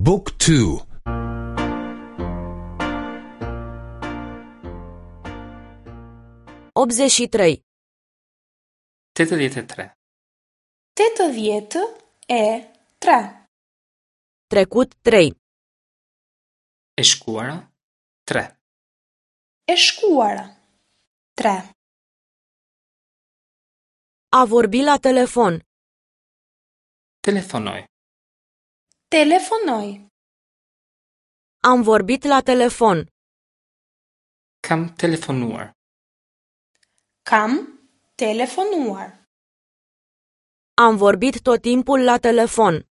บุ๊กทู 83. 83. 83. Trecut 3. E shkuara 3. E shkuara 3. A vorbi la telefon. Telefonoj. Telefonoj. Am vorbit la telefon. Kam telefonuar. Kam telefonuar. Am vorbit tot timpul la telefon.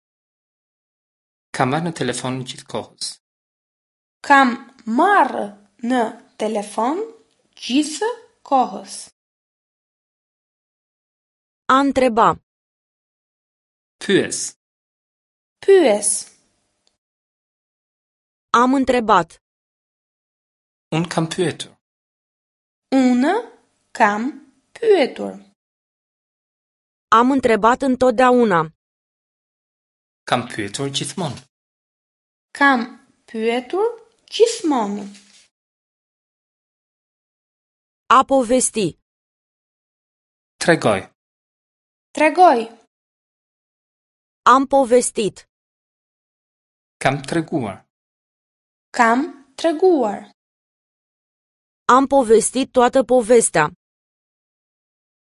Kam marrë në telefon gjithë kohës. Kam marrë në telefon gjithë kohës. A întreba. Pyes. Pyes. Am întrebat. Unë kam pyetur. Unë kam pyetur. Am întrebat întotdeauna. Kam pyetur gjithmonë. Kam pyetur gjithmonë. A povesti. Tregoj. Tregoj. Am povestit. Kam treguar. Kam treguar. Am povestit toată povestea.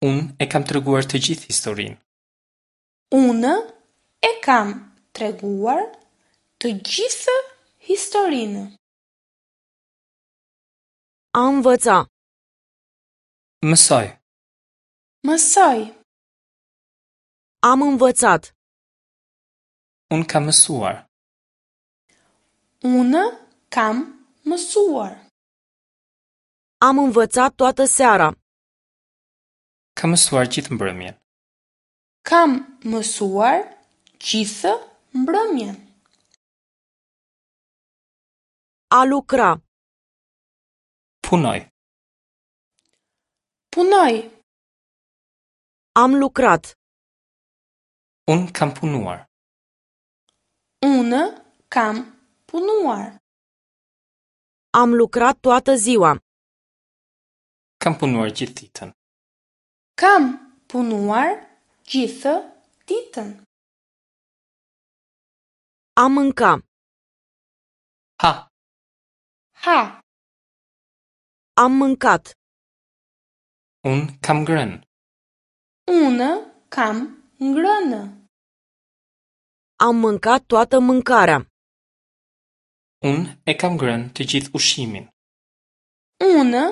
Unë e kam treguar të gjithë historinë. Unë e kam treguar të gjithë historinë. A învăța. Mësoj. Mësoj. Am învățat. Unë kam mësuar. Unë kam mësuar. Am învățat toată seara. Kam mësuar gjithë mbrëmjen. Kam mësuar gjithë mbrëmjen. A lucra. Punoj. Punoj. Am lucrat. Unë kam punuar. Unë kam punuar. Am lucrat toată ziua. Kam punuar gjithë ditën. Kam punuar gjithë ditën. A mânca. Ha. Ha. Am mâncat. Unë kam ngrënë. Unë kam ngrënë. Am mâncat toată mâncarea. Unë e kam ngrënë të gjithë ushqimin. Unë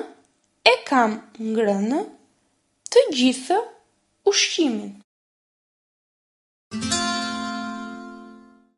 e kam ngrënë të gjithë ushqimin.